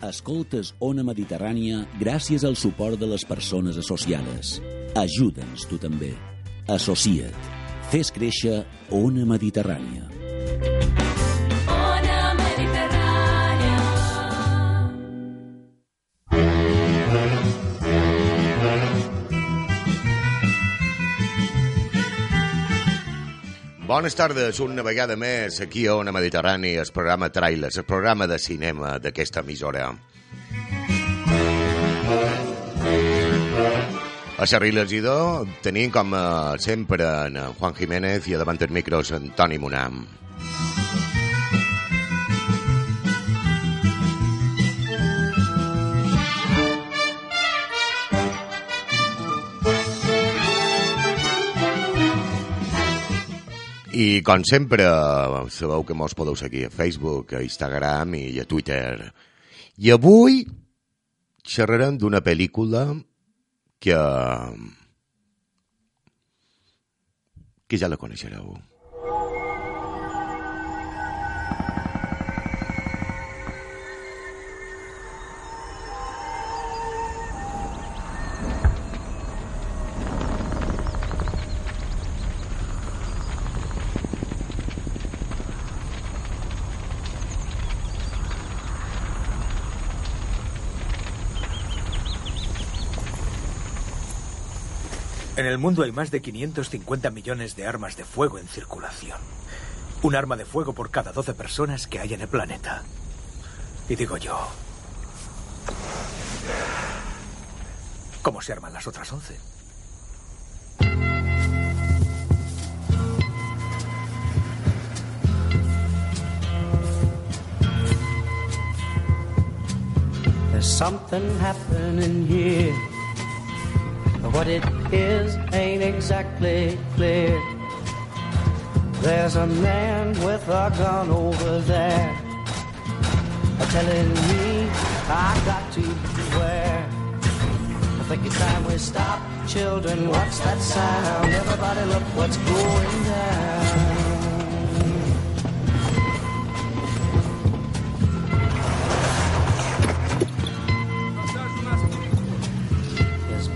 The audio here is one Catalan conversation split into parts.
Escoltes Ona Mediterrània gràcies al suport de les persones associades. Ajuda'ns tu també. Associa't. Fes créixer Ona Mediterrània. Ona Mediterrània. Bones tardes, una vegada més aquí a Ona Mediterrània, el programa Trailers, el programa de cinema d'aquesta emissora. A Sarri Lesidor tenim, com sempre, en Juan Jiménez i davant els micros en Toni Monam. I, com sempre, sabeu que mos podeu seguir a Facebook, a Instagram i a Twitter. I avui xerrarem d'una pel·lícula que ja la coneixereu. En el mundo hay más de 550 millones de armas de fuego en circulación. Un arma de fuego por cada 12 personas que hay en el planeta. Y digo yo, ¿cómo se arman las otras 11? There's something happening here. What it is ain't exactly clear. There's a man with a gun over there telling me I got to beware. I think it's time we stop. Children, what's that sound? Everybody look what's going down.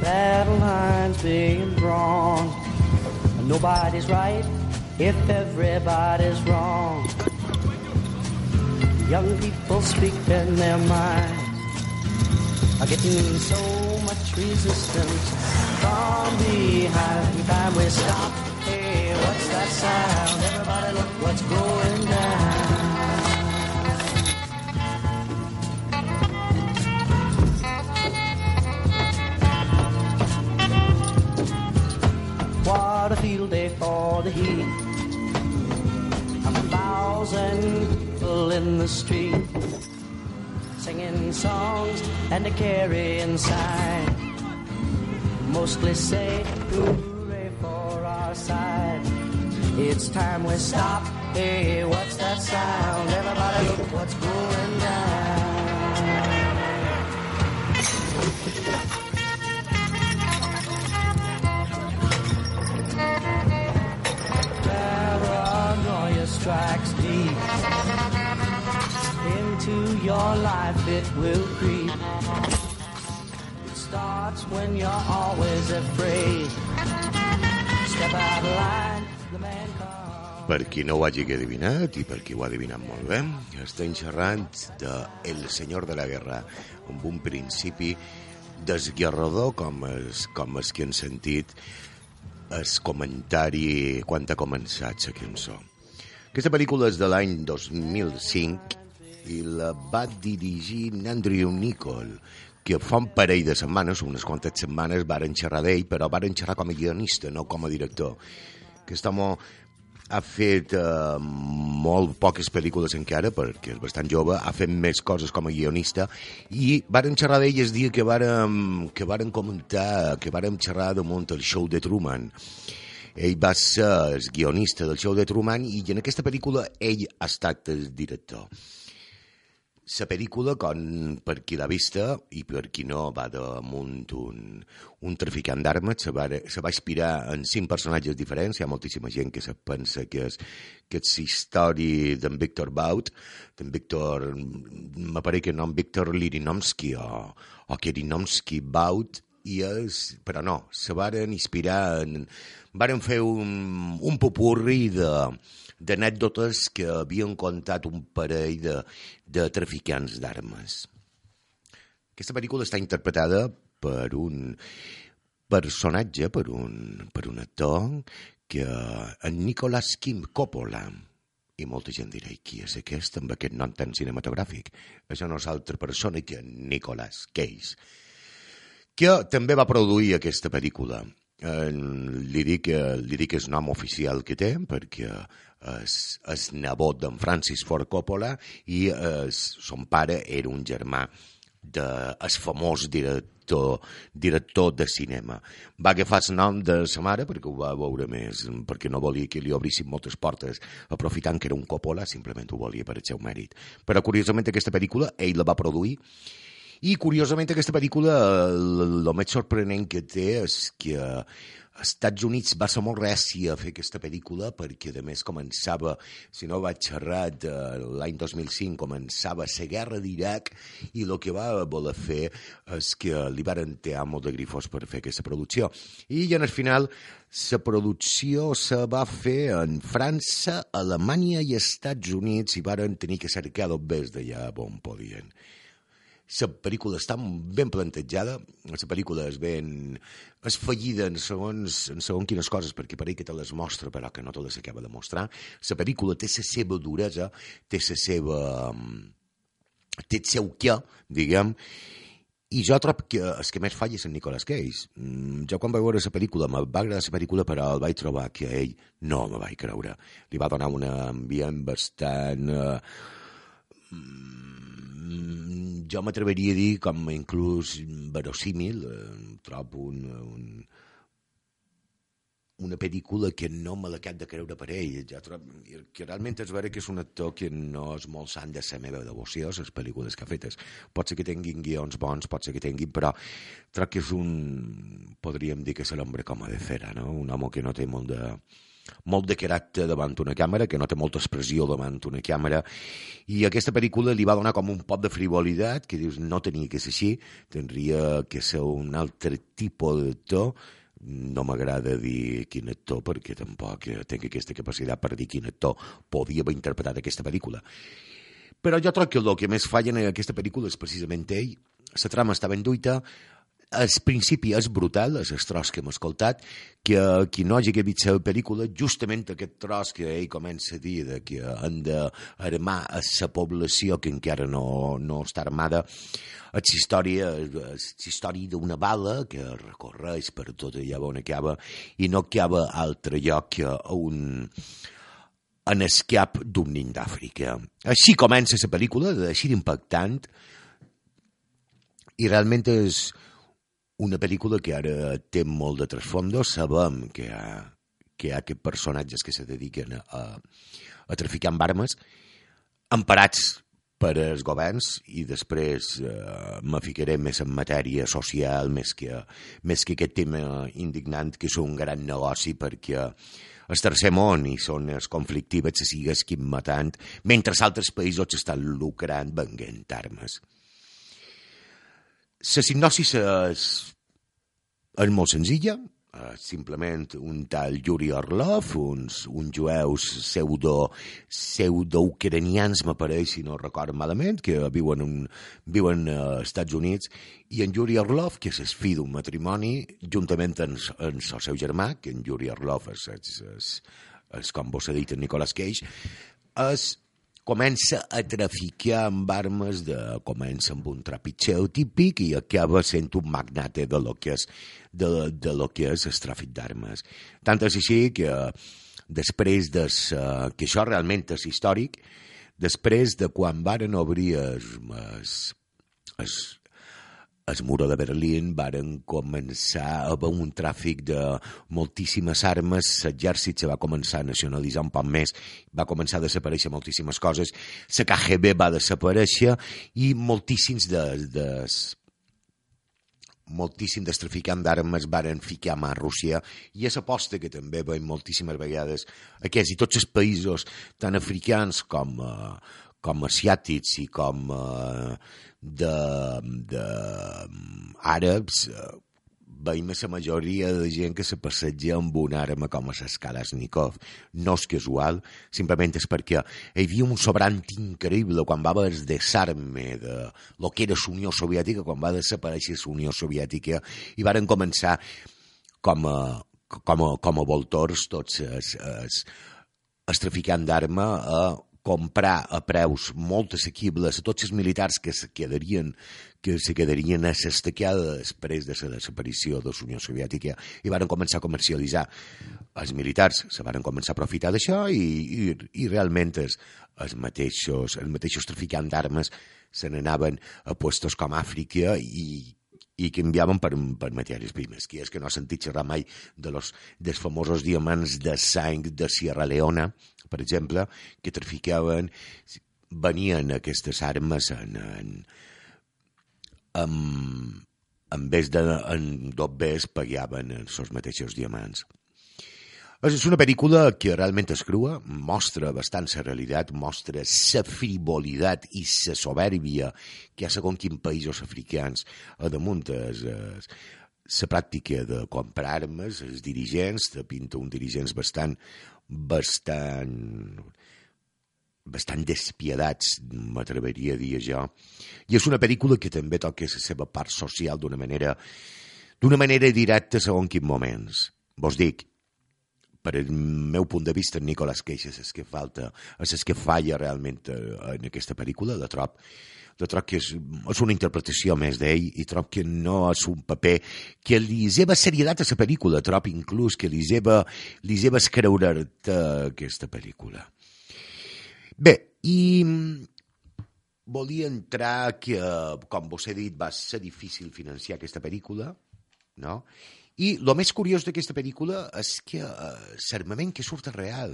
Battle lines being drawn. Nobody's right if everybody's wrong. Young people speaking their minds are getting so much resistance from behind. Time we stop. Hey, what's that sound? Everybody look what's going down. What a field day for the heat. 1,000 people in the street singing songs and a carrying sign. Mostly say hooray for our side. It's time we stop. Hey, what's that sound? Everybody look what's going down. Strikes deep into your life, it will creep. It starts when you're always afraid. Step out of line, the man comes. Per qui no ho hagi adivinat i per qui ho ha adivinat molt bé, estem xerrant de El Senyor de la Guerra, amb un principi desguerrador com els que han sentit el comentari quan ha començat la cançó. Aquesta pel·lícula és de l'any 2005 i la va dirigir Andrew Niccol, que fa un parell de setmanes, unes quantes setmanes, varen xerrar d'ell, però varen xerrar com a guionista, no com a director. Aquest home ha fet molt poques pel·lícules encara, perquè és bastant jove, ha fet més coses com a guionista, i varen xerrar d'ell el dia que varen comentar, que varen xerrar damunt el show de Truman. Ell va ser el guionista del show de Truman i en aquesta pel·lícula ell ha estat el director. La pel·lícula, per qui l'ha vista i per qui no, va damunt un traficant d'armes, se va inspirar en 5 personatges diferents. Hi ha moltíssima gent que se pensa que és la història d'en Víctor Bout, d'en Víctor, m'apareix que el nom Víctor Lirinomsky o Kirinomsky Bout, però no, se varen inspirar, varen fer un popurri d'anècdotes que havien contat un parell de traficants d'armes. Aquesta pel·lícula està interpretada per un personatge, per un actor, que en Nicolas Coppola. I molta gent dirà, qui és aquest amb aquest nom tan cinematogràfic? Això no és altra persona que Nicolas Cage, que també va produir aquesta pel·lícula. Li dic el nom oficial que té, perquè és nebot d'en Francis Ford Coppola i son pare era un germà del famós director de cinema. Va agafar el nom de sa mare perquè ho va veure més, perquè no volia que li obrissin moltes portes, aprofitant que era un Coppola, simplement ho volia per el seu mèrit. Però curiosament aquesta pel·lícula ell la va produir. I, curiosament, aquesta pel·lícula, el més sorprenent que té és que als Estats Units va ser molt rècia a fer aquesta pel·lícula perquè, a més, començava, si no vaig xerrar, l'any 2005, començava la guerra d'Iraq i el que va voler fer és que li varen tear molt de grifos per fer aquesta producció. I, al final, la producció se va fer en França, Alemanya i Estats Units i varen tenir que cercar dos bes d'allà on podien. La pel·lícula està ben plantejada, la pel·lícula és fallida en segons quines coses, perquè pareix que te les mostra, però que no te les acaba de mostrar. La pel·lícula té la seva duresa, té el seu què, diguem, i jo trobo que el que més falla és en Nicolas Cage. Jo quan vaig veure la pel·lícula, me va agradar la pel·lícula, però el vaig trobar que ell no me vaig creure. Li va donar un ambient bastant... jo m'atreveria a dir com inclús verosímil, trobo una pel·lícula que no me l'acab de creure per ell. Jo trobo que realment és vera que és un actor que no és molt sant de la meva devoció, les pel·lícules que ha fetes. Pot ser que tinguin guions bons, pot ser que tinguin, però trobo que és podríem dir que és l'home com a de cera, no? Un home que no té molt de caràcter davant una càmera, que no té molta expressió davant una càmera, i aquesta pel·lícula li va donar com un poc de frivolitat, que dius, no tenia que ser així, tindria que ser un altre tipus d'actor. No m'agrada dir quin actor, perquè tampoc tinc aquesta capacitat per dir quin actor podia haver interpretat aquesta pel·lícula. Però jo trobo que el que més falla en aquesta pel·lícula és precisament ell. La trama està ben duita, al principi és brutal, és el tros que hem escoltat, que qui no hagi vist la pel·lícula, justament aquest tros que ell comença a dir de que han d'armar a la població que encara no està armada, és la història d'una bala que recorreix per tot allà on acaba i no acaba a altre lloc que en el cap d'un nin d'Àfrica. Així comença la pel·lícula, així d'impactant, i realment és una pel·lícula que ara té molt de trasfondo. Sabem que hi ha aquests personatges que se dediquen a traficar amb armes, emparats per els governs, i després me ficaré més en matèria social, més que aquest tema indignant, que és un gran negoci, perquè el tercer món i zones conflictives se siguessin matant, mentre altres països s'estan lucrant venent armes. La sinopsi és molt senzilla, simplement un tal Yuri Orlov, uns jueus pseudo-ucranians, m'apareix, si no recordo malament, que viuen als Estats Units, i en Yuri Orlov, que és el fill d'un matrimoni, juntament amb el seu germà, que en Yuri Orlov és com vos ha dit en Nicolas Cage, comença a traficar amb armes, comença amb un trepitjeu típic i acaba sent un magnate de lo que és el tràfic d'armes. Tant és així que després que això realment és històric, després de quan varen obrir al muro de Berlín varen començar a haver un tràfic de moltíssimes armes, l'exèrcit se va començar a nacionalitzar un poc més, va començar a desaparèixer moltíssimes coses, la KGB va desaparèixer i moltíssims dels traficants d'armes varen ficar mà a Rússia i és aposta que també veiem moltíssimes vegades aquests i tots els països tant africans com asiàtics i com àrabs veiem la majoria de gent que se passeja amb una arma com a les Kalashnikov. No és casual, simplement és perquè hi havia un sobrant increïble quan va haver el desarme de lo que era la Unió Soviètica, quan va desaparèixer la Unió Soviètica i varen començar com a voltors tots els traficants d'arma a comprar a preus molt assequibles a tots els militars que se quedarien a l'estacada després de la desaparició de la Unió Soviètica i varen començar a comercialitzar. Els militars se varen començar a aprofitar d'això i realment els mateixos traficants d'armes se n'anaven a puestos com Àfrica i canviaven per matèries primes, que és que no he sentit xerrar mai dels famosos diamants de sang de Sierra Leone, per exemple, que traficaven, venien aquestes armes en vez en dobbers pagaven els mateixos diamants. És una pel·lícula que realment és crua, mostra bastant la realitat, mostra la frivolitat i la soberbia que hi ha segons quins països africans a damunt la pràctica de comprar armes, els dirigents, te pinta uns dirigents bastant despiadats, m'atreveria a dir jo. I és una pel·lícula que també toca la seva part social d'una manera directa segons quins moments. Vos dic, per el meu punt de vista, Nicolas Cage és el que falla realment en aquesta pel·lícula. De trob que és una interpretació més d'ell i trob que no és un paper que li seva serietat a la pel·lícula, trob inclús que li seva escreure't aquesta pel·lícula. Bé, i volia entrar que, com vos he dit, va ser difícil financiar aquesta pel·lícula, no? I el més curiós d'aquesta pel·lícula és que l'armament que surt és real.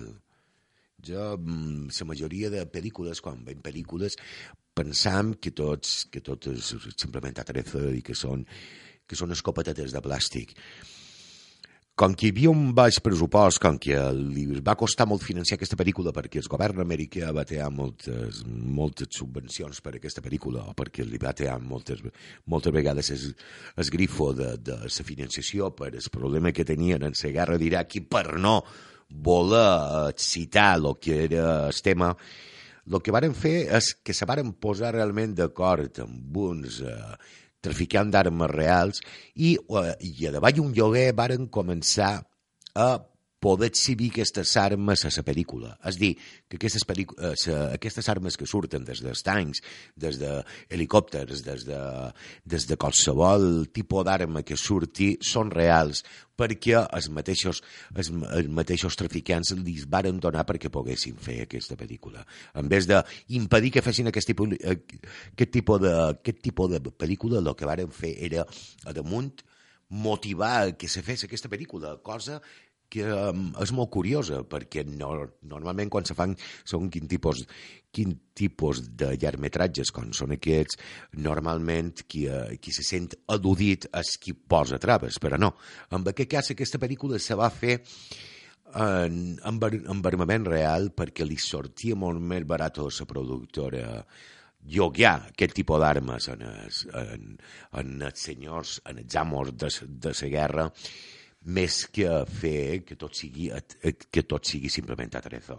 Jo, la majoria de pel·lícules, quan veiem pel·lícules, pensam que tot és simplement atreza i que són escopetetes de plàstic. Com que hi havia un baix pressupost, com que li va costar molt financiar aquesta pel·lícula perquè el govern americà va tenir moltes subvencions per a aquesta pel·lícula o perquè li va tenir moltes vegades el grifo de la financiació per el problema que tenien en la guerra d'Iraq i per no voler citar el que era el tema, el que varen fer és que se varen posar realment d'acord amb uns traficant d'armes reals i a davall un lloguer varen començar a poder exhibir aquestes armes a la pel·lícula. És dir, que aquestes armes que surten des dels tancs, des d'helicòpters, des de qualsevol tipus d'arma que surti, són reals perquè els mateixos traficants li varen donar perquè poguessin fer aquesta pel·lícula. En vez d'impedir que fessin aquest tipus de pel·lícula, el que varen fer era, a damunt, motivar que se fes aquesta pel·lícula, cosa que és molt curiosa, perquè normalment quan se fan quin tipus de llargmetratges com són aquests, normalment qui se sent al·ludit és qui posa traves, però no. En aquest cas, aquesta pel·lícula se va fer amb armament real perquè li sortia molt més barat a la productora lloguer aquest tipus d'armes en els senyors, en els amos de la guerra, més que fer que tot sigui simplement atreza.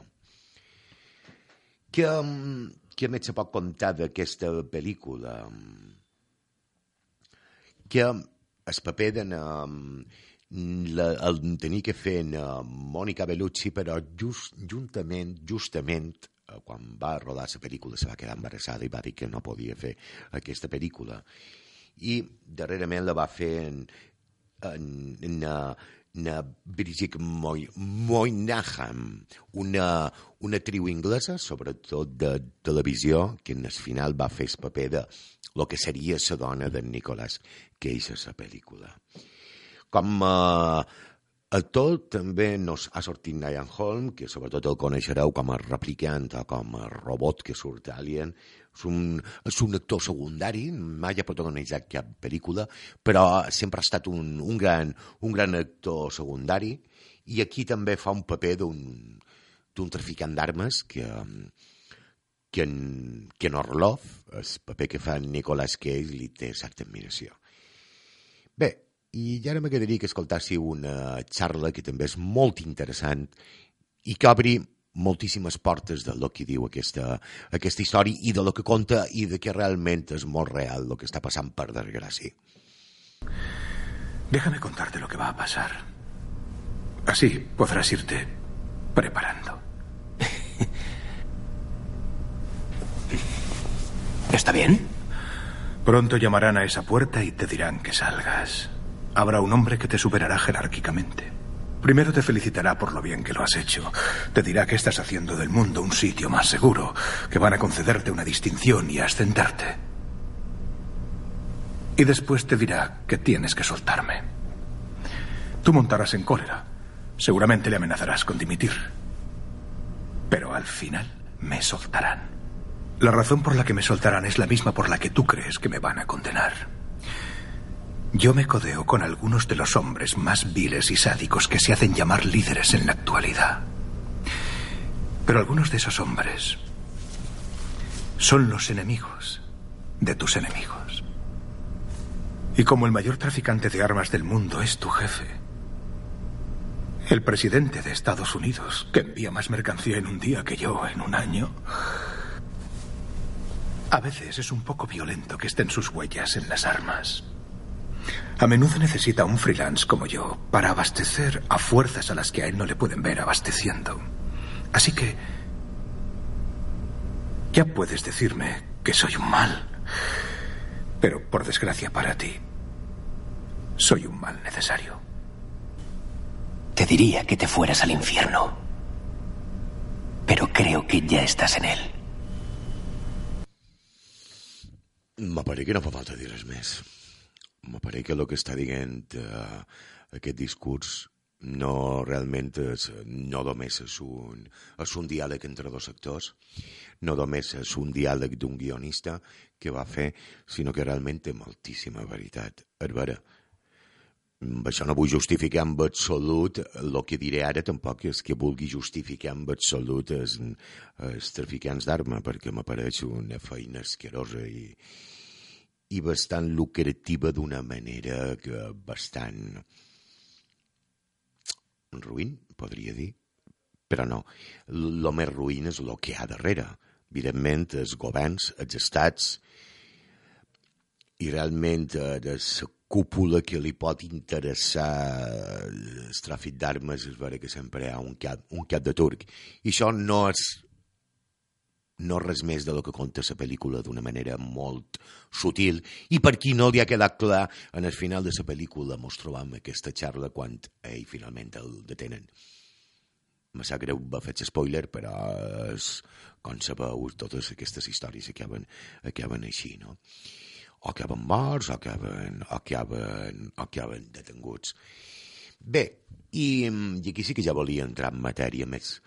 Què més se pot contar d'aquesta pel·lícula? Que el paper el tenir que fer Mònica Bellucci, però justament quan va rodar la pel·lícula se va quedar embarassada i va dir que no podia fer aquesta pel·lícula. I darrerament la va fer Brigitte Moynihan, una actriu inglesa, sobretot de televisió, que en el final va fer el paper de lo que seria la dona d'en Nicolas Cage a la pel·lícula. Com actor també nos ha sortit Niall Holm, que sobretot el coneixereu com a replicant o com a robot que surt Alien. És un actor secundari, mai ha protagonitzat cap pel·lícula, però sempre ha estat un gran actor secundari, i aquí també fa un paper d'un traficant d'armes que en Orlov, el paper que fa Nicolas Cage, li té certa admiració. Bé, i ara m'agradaria que escoltàssiu una xarra que també és molt interessant i que obri moltíssimes portes de lo que diu aquesta història i de lo que conta i de que realment és molt real lo que està passant, per desgràcia. Déjame contarte lo que va a pasar. Así podrás irte preparando. ¿Está bien? Pronto llamarán a esa puerta y te dirán que salgas. Habrá un hombre que te superará jerárquicamente. Primero te felicitará por lo bien que lo has hecho. Te dirá que estás haciendo del mundo un sitio más seguro, que van a concederte una distinción y ascenderte. Y después te dirá que tienes que soltarme. Tú montarás en cólera. Seguramente le amenazarás con dimitir. Pero al final me soltarán. La razón por la que me soltarán es la misma por la que tú crees que me van a condenar. Yo me codeo con algunos de los hombres más viles y sádicos que se hacen llamar líderes en la actualidad. Pero algunos de esos hombres son los enemigos de tus enemigos. Y como el mayor traficante de armas del mundo es tu jefe, el presidente de Estados Unidos, que envía más mercancía en un día que yo en un año, a veces es un poco violento que estén sus huellas en las armas. A menudo necesita un freelance como yo para abastecer a fuerzas a las que a él no le pueden ver abasteciendo. Así que ya puedes decirme que soy un mal, pero por desgracia para ti, soy un mal necesario. Te diría que te fueras al infierno, pero creo que ya estás en él. M'apareix que no fa falta dir res més. M'apareix que el que està dient aquest discurs no realment no només és un diàleg entre dos actors, no només és un diàleg d'un guionista que va fer, sinó que realment té moltíssima veritat. A veure, això no vull justificar en absolut el que diré ara, tampoc és que vulgui justificar en absolut els traficants d'arma, perquè m'apareix una feina asquerosa i bastant lucrativa d'una manera que bastant ruïn, podria dir, però no, el més ruïn és el que hi ha darrere. Evidentment, els governs, els estats, i realment la cúpula que li pot interessar el tràfic d'armes és veure que sempre hi ha un cap de turc. I això no és res més de lo que conta la pel·lícula d'una manera molt sutil, i per qui no li ha quedat clar, en el final de la pel·lícula mos trobam aquesta xarra quan ell finalment el detenen. Me sap greu haver fet spoiler, però com sabeu, totes aquestes històries acaben així, no? O acaben morts, o acaben detenguts. Bé, i aquí sí que ja volia entrar en matèria més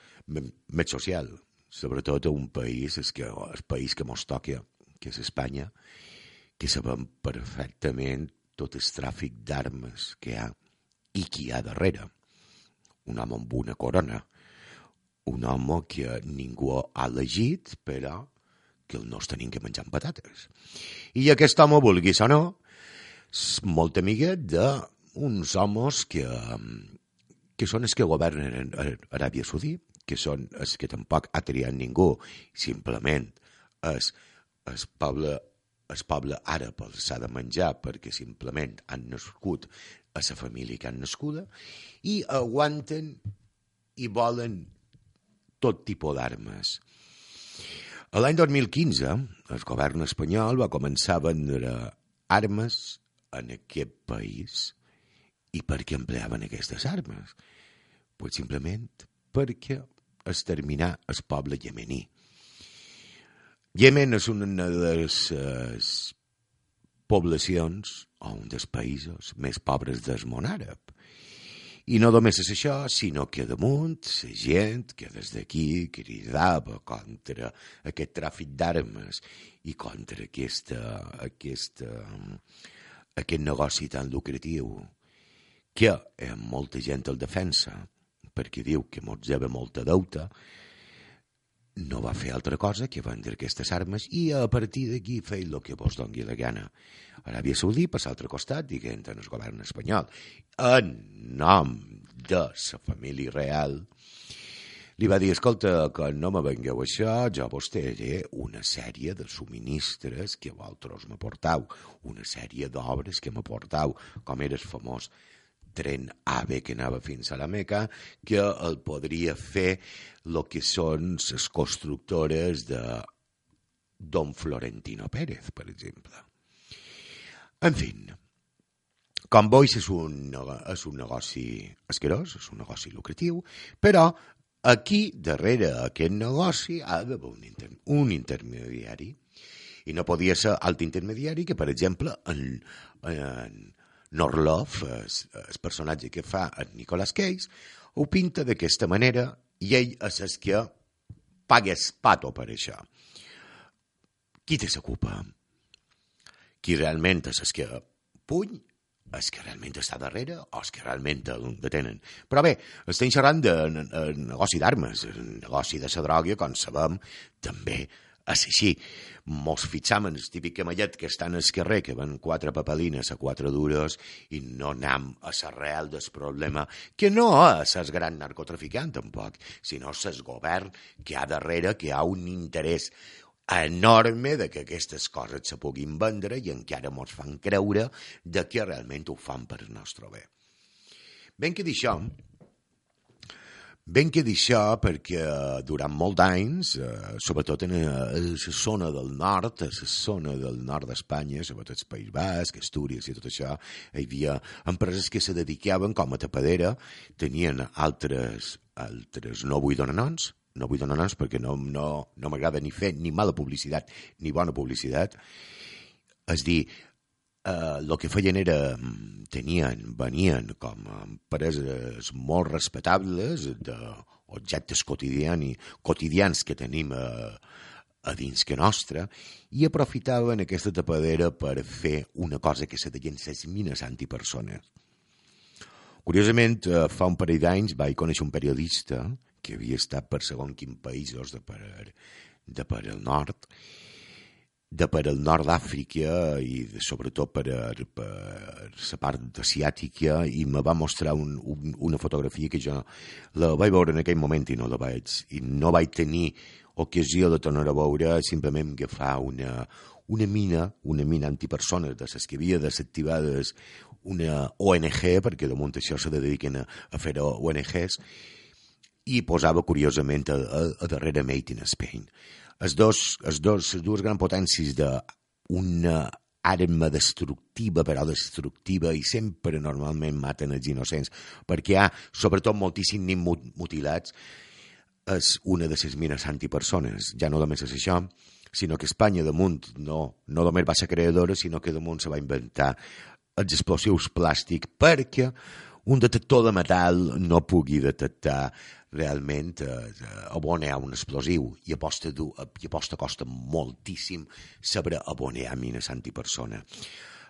social, sobretot a un país, el país que mos toca, que és Espanya, que sabem perfectament tot el tràfic d'armes que hi ha i qui hi ha darrere. Un home amb una corona, un home que ningú ha elegit, però que el no es tenim que menjar amb patates. I aquest home, vulguis o no, és molt amiguet d'uns homes que són els que governen Aràbia Saudí, que són els que tampoc ha triat ningú, simplement el poble àrab els s'ha de menjar perquè simplement han nascut a la família que han nascuda, i aguanten i volen tot tipus d'armes. L'any 2015, el govern espanyol va començar a vendre armes en aquest país I per què empleaven aquestes armes? Pues simplement perquè exterminar el poble iemení. Iemen és una de les poblacions o un dels països més pobres del món àrab. I no només és això, sinó que damunt la gent que des d'aquí cridava contra aquest tràfic d'armes i contra aquest negoci tan lucratiu, que molta gent el defensa, perquè diu que mos deu molta deuta, no va fer altra cosa que vendre aquestes armes i a partir d'aquí feia el que vos doni la gana. Aràbia Saudí, per l'altre costat, diguent en el govern espanyol, en nom de la família real, li va dir, escolta, que no me vengueu això, jo vos té una sèrie de subministres que vosaltres m'aportau, una sèrie d'obres que m'aportau, com era el famós tren AVE que anava fins a la Meca, que el podria fer el que són les constructores de Don Florentino Pérez, per exemple. En fi, com veus, és un negoci asquerós, és un negoci lucratiu, però aquí, darrere aquest negoci, ha d'haver un intermediari. I no podia ser altre intermediari que, per exemple, en Norlov, el personatge que fa en Nicolas Cage, ho pinta d'aquesta manera i ell és el que paga el pato per això. Qui te s'ocupa? Qui realment és el que puny? És que realment està darrere o és que realment el detenen? Però bé, estem xerrant de negoci d'armes, el negoci de la droga, com sabem, també és així. Mos fixam en el típic camellet que està en el carrer, que ven 4 papelines a 4 duros i no anem a l'arrel del problema, que no és el gran narcotraficant tampoc, sinó el govern que hi ha darrere, que hi ha un interès enorme de que aquestes coses se puguin vendre i encara mos fan creure de que realment ho fan per el nostre bé. Ben que d'això, perquè durant molts anys, sobretot en la zona del nord, d'Espanya, sobretot el País Basc, Astúries i tot això, hi havia empreses que se dedicaven com a tapadera, tenien altres no vull donar noms perquè no m'agrada ni fer ni mala publicitat ni bona publicitat, és dir, el que feien era, venien com empreses molt respectables d'objectes quotidians que tenim a dins que nostra i aprofitaven aquesta tapadera per fer una cosa que se deien les mines antipersones. Curiosament, fa un parell d'anys vaig conèixer un periodista que havia estat per segons quins països de per el nord, d'Àfrica i sobretot per la part asiàtica, i me va mostrar una fotografia que jo la vaig veure en aquell moment i no vaig tenir ocasió de tornar a veure, simplement que fa una mina antipersones de les que havia desactivades una ONG, perquè damunt això se dediquen a fer ONGs, i posava curiosament a darrere Made in Spain. Les dues grans potències d'una arma destructiva, però destructiva, i sempre normalment maten els innocents, perquè hi ha, sobretot, moltíssims nens mutilats, és una de les mines antipersones. Ja no només és això, sinó que Espanya damunt no només va ser creadora, sinó que damunt se va inventar els explosius plàstics perquè un detector de metall no pugui detectar realment on hi ha un explosiu, i aposta costa moltíssim saber on hi ha mines antipersona.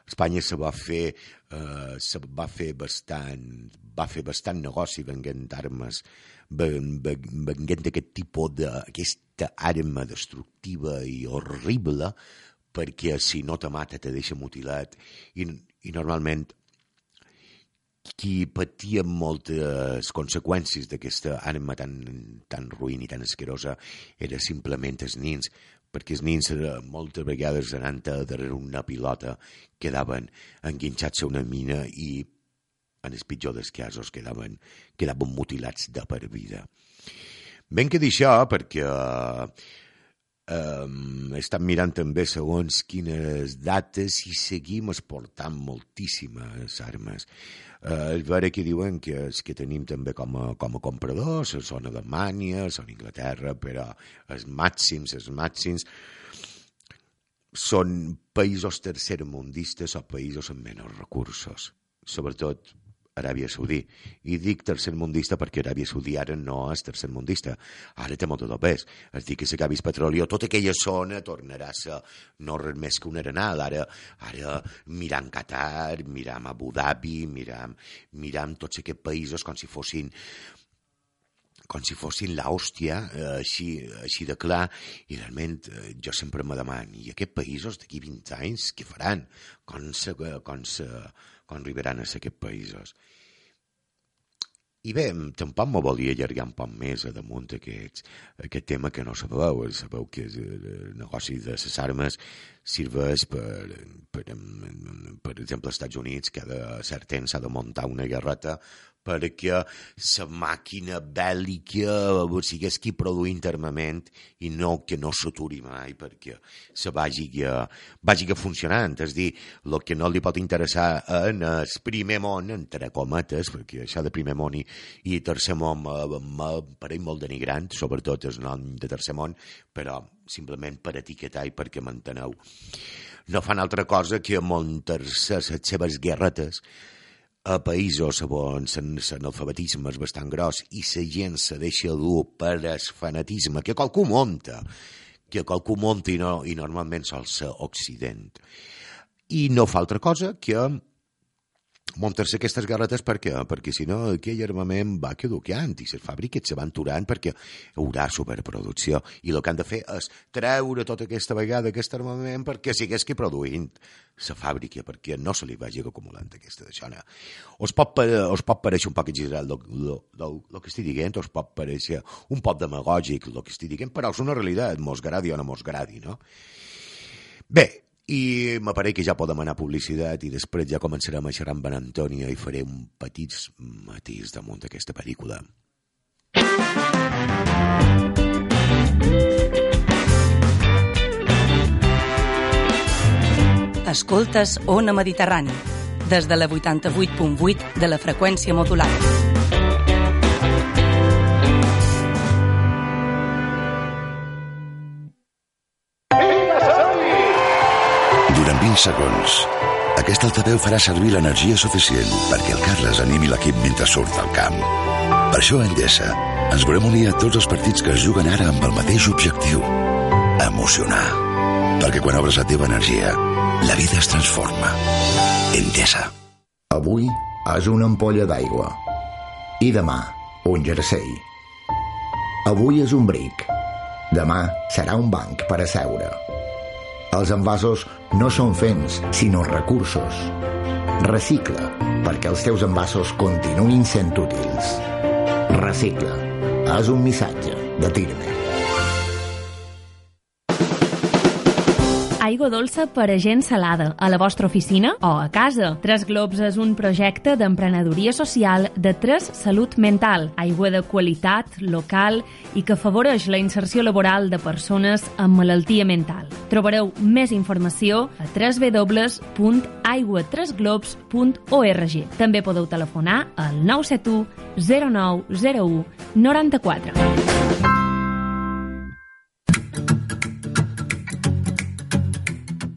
Espanya va fer bastant negoci venent armes, venent aquest tipus d'aquesta arma destructiva i horrible, perquè si no te mata te deixa mutilat, i normalment qui patia moltes conseqüències d'aquesta arma tan ruïna i tan asquerosa era simplement els nens, perquè els nens moltes vegades anant darrere una pilota quedaven enganxats a una mina i, en el pitjor dels casos, quedaven mutilats de per vida. Ben que d'això, perquè estem mirant també segons quines dates i seguim exportant moltíssimes armes. És vera que diuen que els que tenim també com a compradors són Alemanya, són Inglaterra, però els màxims són països tercermundistes o països amb menys recursos, sobretot Aràbia Saudí. I dic tercermundista perquè Aràbia Saudí ara no és tercermundista, ara té molt de pes. És dir, que s'acabi el petroli o tota aquella zona tornarà a ser no res més que un arenal. Ara miram Qatar, miram Abu Dhabi, miram tots aquests països com si fossin l'hòstia, així de clar, i realment jo sempre me demano, i aquests països d'aquí 20 anys què faran? Com arribaran a ser aquests països? I bé, tampoc me volia allargar un poc més a damunt aquest tema que no sabeu. Sabeu que el negoci de les armes serveix per exemple, als Estats Units cada cert temps s'ha de muntar una guerreta perquè la màquina bèl·lica sigui qui produint armament i que no s'aturi mai perquè se vagi funcionant. És dir, el que no li pot interessar en el primer món, entre cometes, perquè això de primer món i tercer món m'apareix molt denigrant, sobretot el nom de tercer món, però simplement per etiquetar i perquè m'enteneu. No fan altra cosa que muntar-se les seves guerretes a països on l'analfabetisme és bastant gros i la gent se deixa dur per el fanatisme que qualcú munta i normalment sol ser Occident. I no fa altra cosa que muntar-se aquestes guerretes perquè si no aquell armament va caducant i les fàbriques se van aturant perquè hi haurà superproducció i el que han de fer és treure tota aquesta vegada aquest armament perquè sigués qui produint la fàbrica, perquè no se li vagi acumulant aquesta d'això. Us pot pareixer un poc exagerat el que estic dient, us pot pareixer un poc demagògic el que estic dient, però és una realitat, mos gradi o no mos gradi, no? Bé, i m'apareix que ja podem anar a publicitat i després ja començarem a xerrar amb en Antonio i faré un petit matís damunt d'aquesta pel·lícula. Escoltes Ona Mediterrani, des de la 88.8 de la freqüència modulada. Durant 20 segons, aquest altaveu farà servir l'energia suficient perquè el Carles animi l'equip mentre surt al camp. Per això a Endesa ens volem unir a tots els partits que es juguen ara amb el mateix objectiu: emocionar. Perquè quan obres la teva energia, la vida es transforma. Endesa. Avui és una ampolla d'aigua i demà un jersei. Avui és un bric, demà serà un banc per asseure. Els envasos no són fems, sinó recursos. Recicla, perquè els teus envasos continuïn sent útils. Recicla. És un missatge de Tirme. Aigua dolça per a gent salada, a la vostra oficina o a casa. Tres Globs és un projecte d'emprenedoria social de Tres Salut Mental, aigua de qualitat, local i que afavoreix la inserció laboral de persones amb malaltia mental. Trobareu més informació a www.aiguatresglobs.org. També podeu telefonar al 971 0901 94.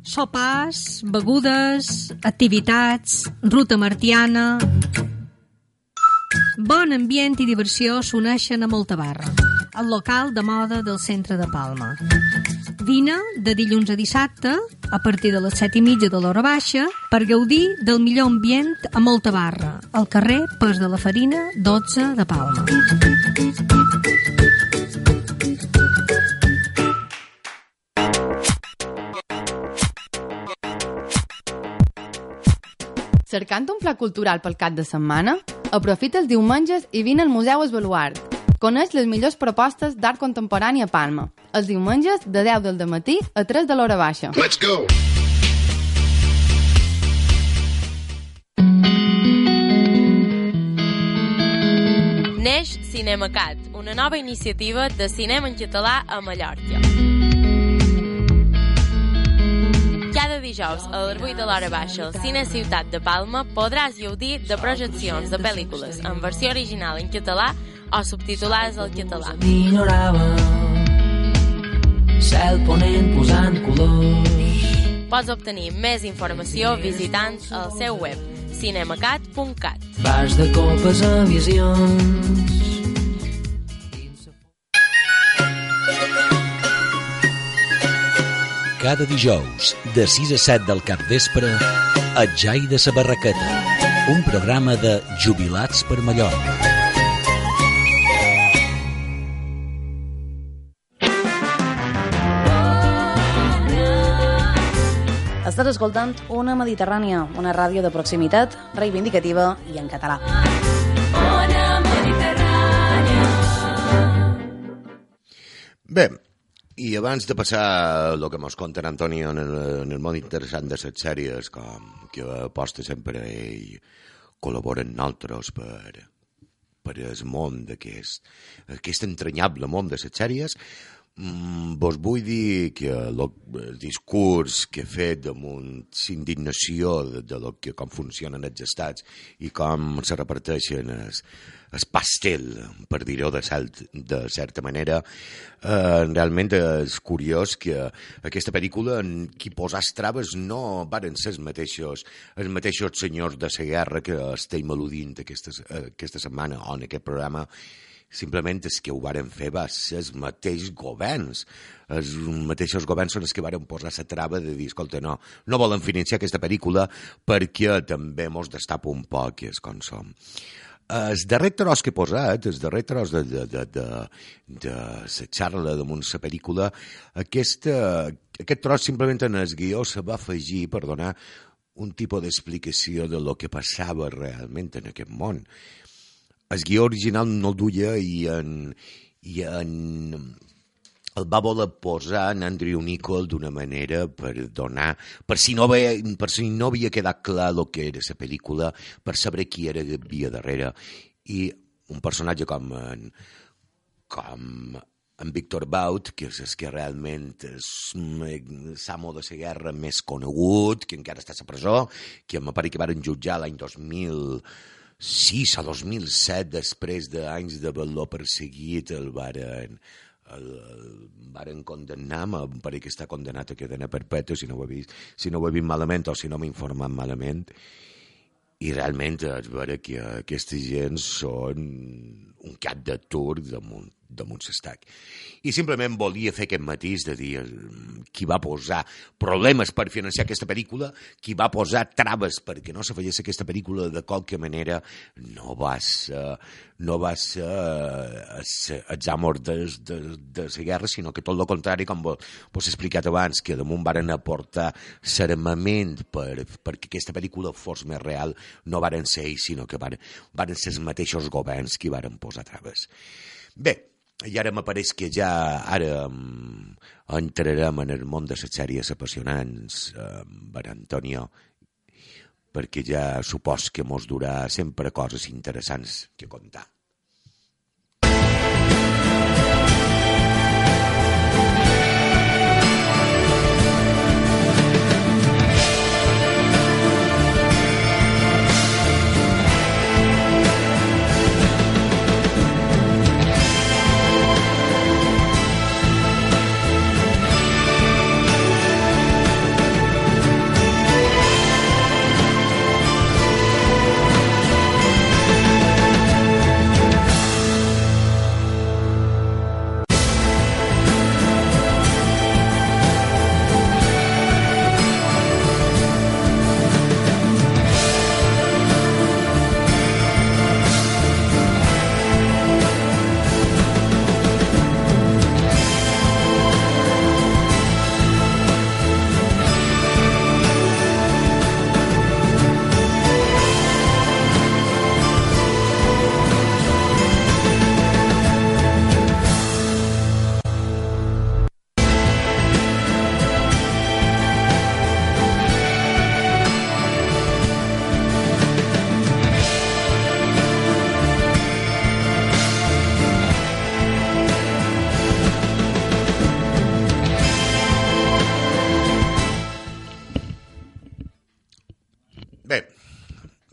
Sopars, begudes, activitats, ruta martiana... Bon ambient i diversió s'uneixen a Moltabarra, el local de moda del centre de Palma. Vine de dilluns a dissabte, a partir de les 7:30 de l'hora baixa, per gaudir del millor ambient a Moltabarra, al carrer Pas de la Farina, 12 de Palma. Cercant un pla cultural pel cap de setmana? Aprofita els diumenges i vine al Museu Esbaluart. Coneix les millors propostes d'art contemporani a Palma. Els diumenges de 10 del dematí a 3 de l'hora baixa. Let's go! Neix CinemaCat, una nova iniciativa de cinema en català a Mallorca. dijous a les 8 de l'hora baixa al Cine Ciutat de Palma podràs gaudir de projeccions de pel·lícules en versió original en català o subtitulades al català. Cel ponent posant colors. Pots obtenir més informació visitant el seu web cinemacat.cat. Vas de copes a visions. Cada dijous, de 6 a 7 del capvespre, El Jai de sa Barraqueta, un programa de Jubilats per Mallorca. Estàs escoltant Ona Mediterrània, una ràdio de proximitat, reivindicativa i en català. Ona Mediterrània. Bé, i abans de passar el que mos conta Antonio en el món interessant de les sèries, com que aposta sempre ell, col·labora amb nosaltres per el món aquest entranyable món de les sèries, vos vull dir que el discurs que he fet damunt l'indignació de com funcionen els estats i com se reparteixen el pastel, per dir-ho de certa manera, realment és curiós que aquesta pel·lícula en qui posàs traves no varen ser els mateixos senyors de la guerra que estem al·ludint aquesta setmana o en aquest programa. Simplement és que ho varen fer va ser els mateixos governs. Els mateixos governs són els que varen posar la trava de dir, escolta, no volen financiar aquesta pel·lícula perquè també mos destapa un poc, és com som. El darrer tros que he posat, el darrer tros de la xarra damunt la pel·lícula, aquest tros simplement en el guió se va afegir per donar un tipus d'explicació de lo que passava realment en aquest món. El guió original no el duia i el va voler posar en Andrew Niccol d'una manera per donar, per si no havia quedat clar el que era la pel·lícula, per saber qui era que havia darrere. I un personatge com en Victor Bout, que és que realment és l'amo de la guerra més conegut, que encara està a la presó, que em pare que varen jutjar l'any 2006 a 2007, després d'anys d'haver-lo perseguit, el varen condemnar, em pare que està condemnat a cadena perpètua, si no ho he vist malament o si no m'he informat malament, i realment és vera que aquesta gent són un cap de turc damunt l'estac. I simplement volia fer aquest matís de dir qui va posar problemes per financiar aquesta pel·lícula, qui va posar traves perquè no se fallés aquesta pel·lícula de qualque manera, no va ser els amors de la guerra, sinó que tot el contrari, com vos he explicat abans, que damunt varen aportar l'armament perquè aquesta pel·lícula fos més real, no varen ser ells, sinó que varen ser els mateixos governs qui varen posar traves. Bé, i ara m'apareix que ja ara entrarem en el món de les sèries apassionants per Antonio, perquè ja supos que mos durà sempre coses interessants que contar.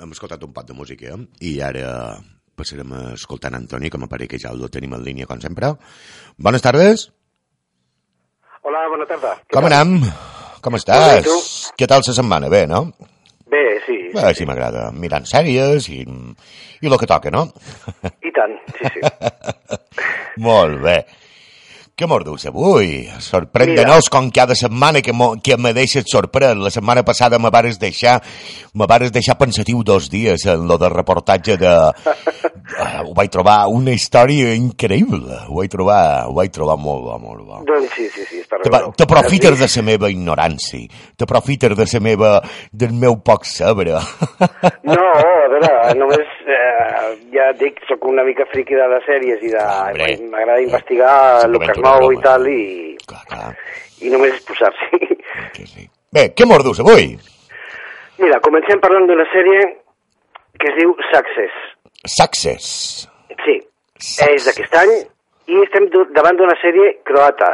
hem escoltat un pot de música i ara passarem a escoltar Antoni, que m'apareix que ja el tenim en línia, com sempre. Bones tardes. Hola, bona tarda. Com anem? Com estàs? Què tal la setmana? Bé, no? Bé, sí. Sí, m'agrada. Mirant sèries i el que toca, no? I tant, sí. Molt bé. Què mos dus avui? Sorprèn-nos com cada setmana que me deixes sorprès. La setmana passada me vares deixar pensatiu 2 dies en lo del reportatge de... Ho vaig trobar una història increïble. Ho vaig trobar molt bo. Doncs sí, està rebut. T'aprofites de la meva ignorància. T'aprofites del meu poc sabre. No, a veure, només... ja dic, sóc una mica friqui de les sèries i m'agrada investigar el que és nou i tal, i només és posar-s'hi. Bé, què mos dus avui? Mira, comencem parlant d'una sèrie que es diu Success. Success? Sí, és d'aquest any i estem davant d'una sèrie croata.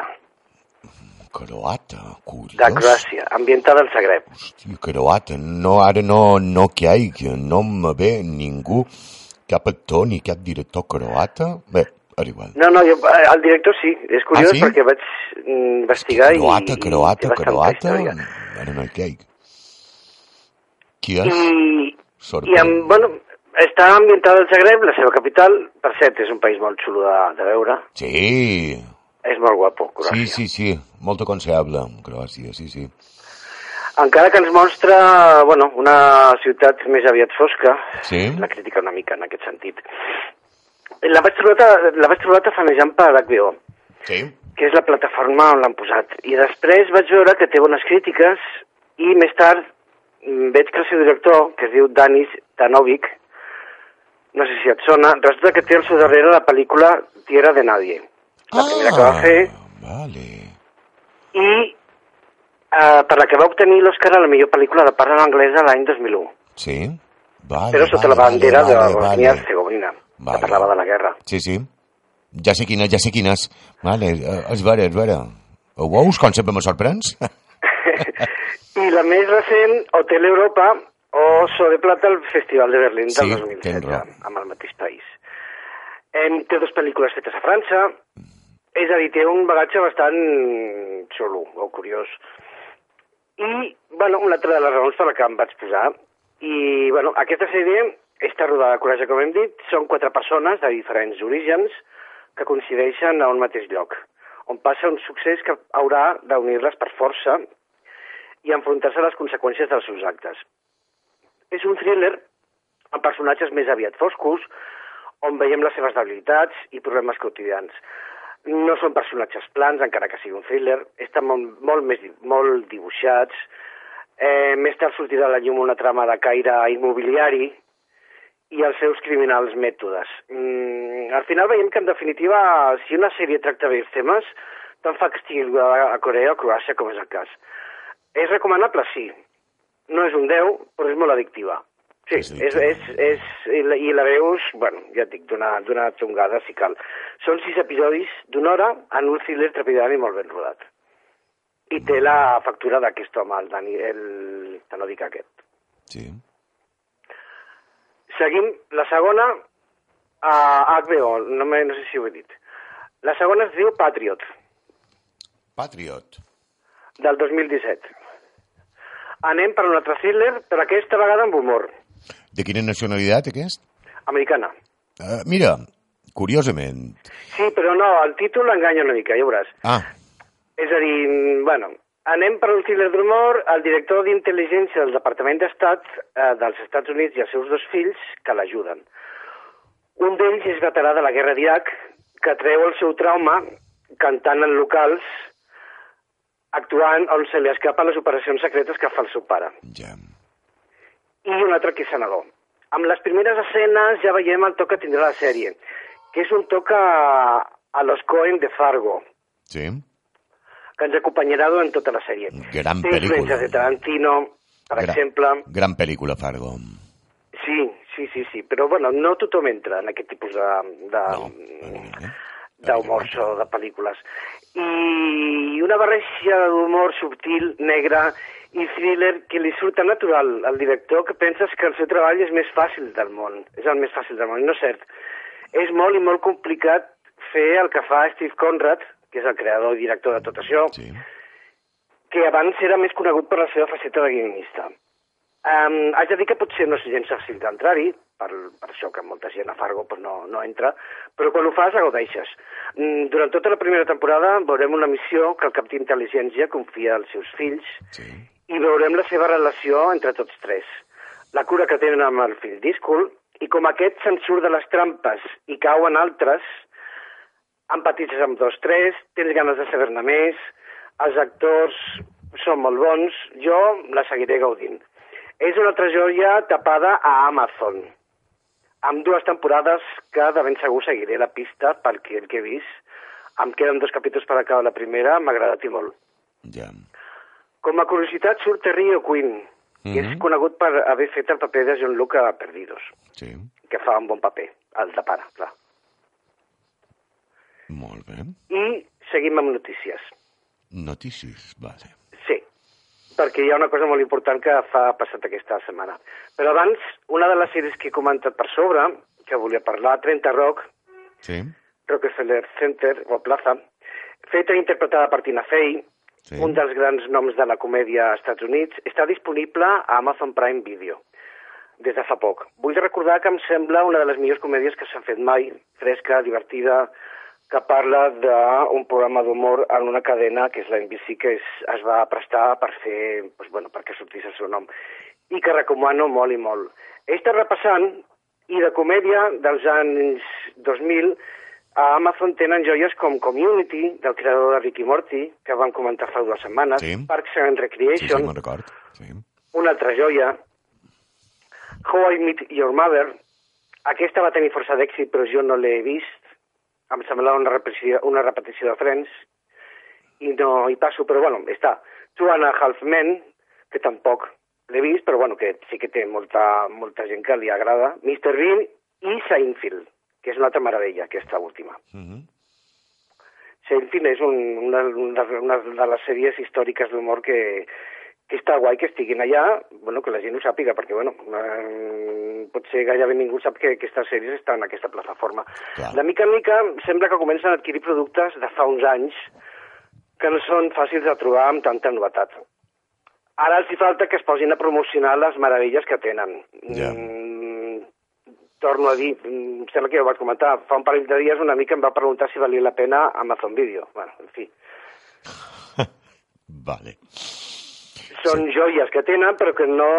Croata, curiós. De Croàcia, ambientada al Zagreb. Hòstia, croata, ara no que hi ha, no me ve ningú, cap actor ni cap director croata. Bé, ara igual. No, el director sí, és curiós perquè vaig investigar Croata, ara no hi ha. Qui és? Bueno, està ambientada al Zagreb, la seva capital, per cert, és un país molt xulo de veure. Sí. És molt guapo, Croàcia. Sí, molt aconsellable, Croàcia, sí. Encara que ens mostra, una ciutat més aviat fosca, la crítica una mica en aquest sentit. La vaig trobar tafanejant per HBO, que és la plataforma on l'han posat. I després vaig veure que té bones crítiques i més tard veig que el seu director, que es diu Danis Tanovic, no sé si et sona, resulta que té al seu darrere la pel·lícula Tierra de Nadie. La primera que va fer. Vale. I per la que va obtenir l'Oscar a la millor pel·lícula de parla anglesa l'any 2001. Sí, vale. Però sota la bandera de Bòsnia-Hercegovina, que parlava de la guerra. Sí. Ja sé quines. Vale, és vera. Ho veus com sempre me sorprens? I la més recent, Hotel Europa, o So de Plata al Festival de Berlín del 2016, amb el mateix país. Té 2 pel·lícules fetes a França, és a dir, té un bagatge bastant xulo o curiós. I, una altra de les raons per la que em vaig posar. I, aquesta sèrie està rodada a Coratge, com hem dit, són 4 persones de diferents orígens que coincideixen a un mateix lloc, on passa un succés que haurà d'unir-les per força i enfrontar-se a les conseqüències dels seus actes. És un thriller amb personatges més aviat foscos, on veiem les seves debilitats i problemes quotidians. No són personatges plans, encara que sigui un thriller, estan molt dibuixats. Més tard sortirà a la llum una trama de caire immobiliari i els seus criminals mètodes. Al final veiem que, en definitiva, si una sèrie tracta bé els temes, tant fa que estigui a Corea o Croàcia, com és el cas. És recomanable, sí. No és un 10, però és molt addictiva. Sí, i la veus, ja et dic, d'una tongada, si cal. Són 6 episodis d'1 hora en un thriller trepidant i molt ben rodat. I té la factura d'aquest home, el Tanovic aquest. Sí. Seguim. La segona, a HBO, no sé si ho he dit. La segona es diu Patriot. Patriot. Del 2017. Anem per un altre thriller, però aquesta vegada amb humor. De quina nacionalitat, aquest? Americana. Mira, curiosament. Sí, però no, el títol enganya una mica, ja veuràs. És a dir, anem per un thriller d'humor. El director d'intel·ligència del Departament d'Estat dels Estats Units i els seus 2 fills que l'ajuden. Un d'ells és veterà de la guerra d'Iraq, que treu el seu trauma cantant en locals, actuant on se li escapen les operacions secretes que fa el seu pare. Ja. I un altre que és senador. Amb les primeres escenes ja veiem el toc que tindrà la sèrie, que és un toc a los Coen de Fargo. Sí. Que ens acompanyarà durant tota la sèrie. Gran Té pel·lícula. influències de Tarantino, per exemple. Gran pel·lícula, Fargo. Sí, però no tothom entra en aquest tipus d'humor o de pel·lícules. I una barreja d'humor subtil, negre i thriller que li surt tan natural al director que penses que el seu treball és més fàcil del món. És el més fàcil del món, i no és cert. És molt i molt complicat fer el que fa Steve Conrad, que és el creador i director de tot això, que abans era més conegut per la seva faceta de guionista. Haig de dir que potser no és gens fàcil d'entrar-hi, per això que molta gent a Fargo no entra, però quan ho fas agaudeixes. Durant tota la primera temporada veurem una missió que el cap d'intel·ligència confia als seus fills i veurem la seva relació entre tots tres. La cura que tenen amb el fill Discul i com aquest se'n surt de les trampes i cau en altres, empatitzes amb 2-3, tens ganes de saber-ne més, els actors són molt bons, jo la seguiré gaudint. És una altra joia tapada a Amazon, amb 2 temporades que de ben segur seguiré la pista perquè el que he vist, em queden 2 capítols per acabar la primera, m'ha agradat i molt. Com a curiositat surt Terry O'Quinn, que és conegut per haver fet el paper de John Luke a Perdidos, que fa un bon paper, el de pare, clar. Molt bé. I seguim amb notícies. Notícies, vale. Sí, perquè hi ha una cosa molt important que ha passat aquesta setmana. Però abans, una de les sèries que he comentat per sobre, que volia parlar, 30 Rock, Rockefeller Center, o Plaza, feta i interpretada per Tina Fey, un dels grans noms de la comèdia als Estats Units, està disponible a Amazon Prime Video des de fa poc. Vull recordar que em sembla una de les millors comèdies que s'han fet mai, fresca, divertida, que parla d'un programa d'humor en una cadena, que és la NBC, que es va prestar per fer, perquè sortís el seu nom, i que recomano molt i molt. He estat repassant, i de comèdia dels anys 2000, a Amazon tenen joies com Community, del creador de Rick i Morty, que vam comentar fa 2 setmanes, Parks and Recreation, una altra joia, How I Met Your Mother. Aquesta va tenir força d'èxit, però jo no l'he vist. Em semblava una repetició de Friends, i no hi passo, però bueno, està. 2.5 Men, que tampoc l'he vist, però bueno, que sí que té molta gent que li agrada. Mr. Bean i Seinfeld, que és una altra meravella, aquesta última. Seinfeld és una de les sèries històriques d'humor que està guai que estiguin allà, que la gent ho sàpiga, perquè potser gairebé ningú sap que aquestes sèries estan en aquesta plataforma. De mica en mica sembla que comencen a adquirir productes de fa uns anys que no són fàcils de trobar amb tanta novetat. Ara els hi falta que es posin a promocionar les meravelles que tenen. Torno a dir, em sembla que ja ho vaig comentar, fa un parell de dies una mica em va preguntar si valia la pena Amazon Video. Bueno, en fi. Vale. Són joies que tenen, però que no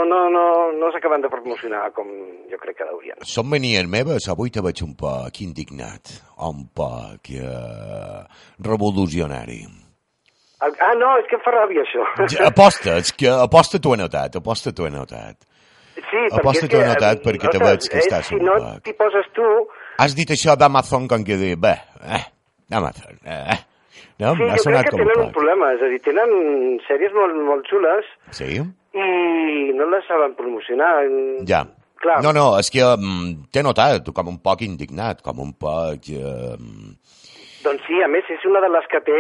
s'acaben de promocionar com jo crec que haurien. Són manies meves, avui te veig un poc indignat, un poc revolucionari. No, és que em fa ràbia, això. Aposta t'ho he notat. Sí, aposta t'ho he notat perquè te veig que estàs un poc. Si no t'hi poses tu... Has dit això d'Amazon com que dir, Amazon, no, sí, jo crec que tenen un problema, és a dir, tenen sèries molt xules i no les saben promocionar. Ja. Clar. No, és que t'he notat com un poc indignat, com un poc... Doncs sí, a més, és una de les que té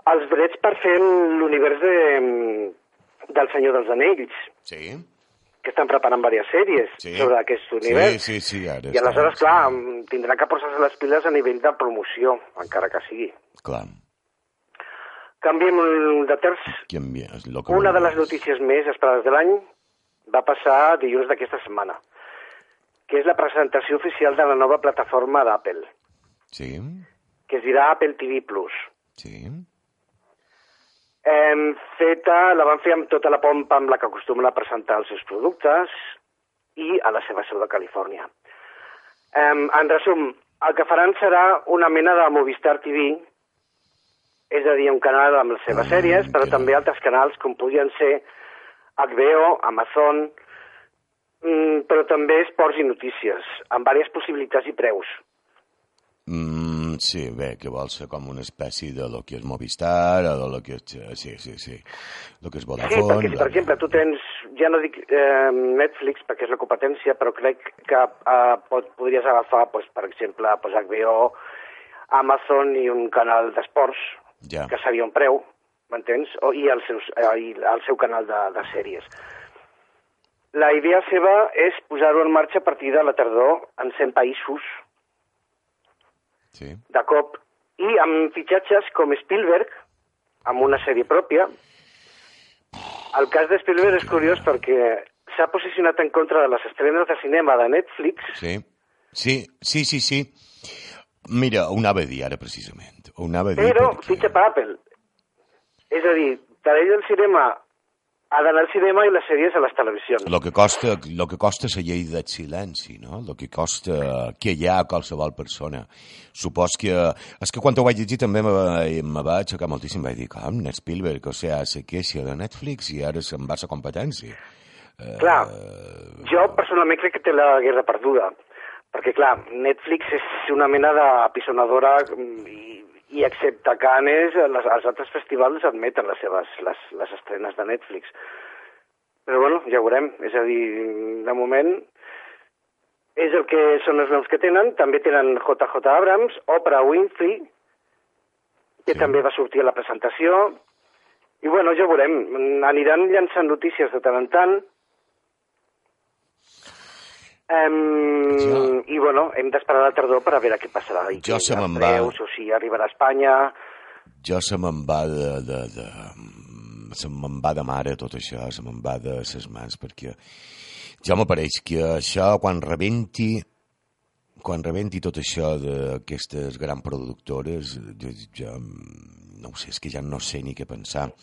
els drets per fer l'univers del Senyor dels Anells. Sí. Que estan preparant diverses sèries sobre aquest univers. Sí. I aleshores, clar, tindrà que posar-se les piles a nivell de promoció, encara que sigui. Clar. Canviem de terç. Una de les notícies més esperades de l'any va passar dilluns d'aquesta setmana, que és la presentació oficial de la nova plataforma d'Apple. Sí. Que es dirà Apple TV+. Sí. La van fer amb tota la pompa amb la que acostumen a presentar els seus productes i a la seva seu de Califòrnia. En resum, el que faran serà una mena de Movistar TV, és a dir, un canal amb les seves sèries, però també altres canals com podrien ser HBO, Amazon, però també esports i notícies, amb diverses possibilitats i preus. Sí, bé, que vol ser com una espècie de lo que és Movistar, o de lo que és... Sí. Lo que és Vodafone... Sí, perquè si, per exemple, tu tens, ja no dic Netflix, perquè és la competència, però crec que podries agafar, per exemple, HBO, Amazon i un canal d'esports, que seria un preu, m'entens? I el seu canal de sèries. La idea seva és posar-ho en marxa a partir de la tardor en 100 països, de cop, i amb fitxatges com Spielberg, amb una sèrie pròpia. El cas de Spielberg és curiós perquè s'ha posicionat en contra de les estrenes de cinema de Netflix. Sí. Mira, ho anava a dir ara, precisament. Però fitxa per Apple. És a dir, per ell el cinema ha d'anar al cinema i les sèries a les televisions. Lo que costa la llei del silenci, no? Lo que costa que hi ha a qualsevol persona. Supos que... És que quan ho vaig llegir també me va aixecar moltíssim. Vaig dir, com, Spielberg, o sigui, se queixa de Netflix i ara se'n va a la competència. Clar, jo personalment crec que té la guerra perduda. Perquè, clar, Netflix és una mena d'apisonadora i excepte Cannes, els altres festivals admeten les estrenes de Netflix. Però, bueno, ja ho veurem. És a dir, de moment, és el que són els noms que tenen. També tenen J.J. Abrams, Oprah Winfrey, que també va sortir a la presentació. I, bueno, ja ho veurem. Aniran llançant notícies de tant en tant. I, bueno, hem d'esperar la tardor per a veure què passarà. Jo se me'n va... O si arribarà a Espanya... Jo se me'n va se me'n va de mare tot això, se me'n va de ses mans, perquè ja m'apareix que això, quan rebenti tot això d'aquestes grans productores, jo no ho sé, és que ja no sé ni què pensar.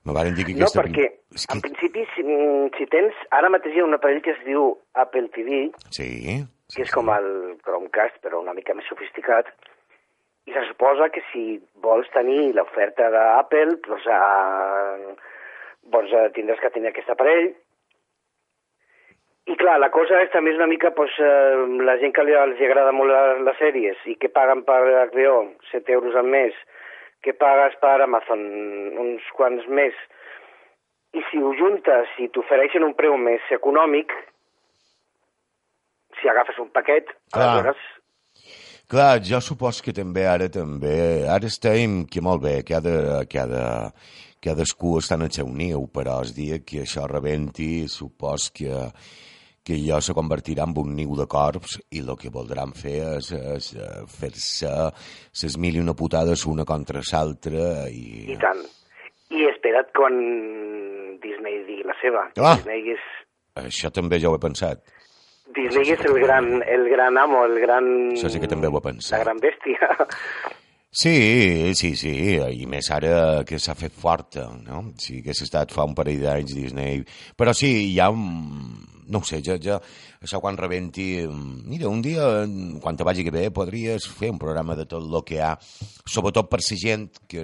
Me varen dir que aquesta... No, perquè, en principi, si tens... Ara mateix hi ha un aparell que es diu Apple TV, que és com el Chromecast, però una mica més sofisticat, i se suposa que si vols tenir l'oferta d'Apple, doncs tindràs que tenir aquest aparell. I clar, la cosa és també una mica la gent que els agrada molt les sèries i que paguen per HBO 7 euros al mes, que pagues per Amazon uns quants més, i si ho juntes i t'ofereixen un preu més econòmic, si agafes un paquet, aleshores... Clar, jo supos que ara estem, que molt bé, que cadascú està en el seu niu, però el dia que això rebenti, supos que allò se convertirà en un niu de corps i el que voldran fer és fer-se les mil i una putades una contra l'altra. I tant. I espera't quan Disney digui la seva. Disney és... Això també ja ho he pensat. Disney és el gran amo, Això sí que també ho he pensat. La gran bèstia. Sí, i més ara que s'ha fet forta, no? Si hagués estat fa un parell d'anys Disney... Però sí, hi ha no ho sé, això quan rebenti... Mira, un dia, quan te vagi que bé, podries fer un programa de tot el que hi ha, sobretot per la gent que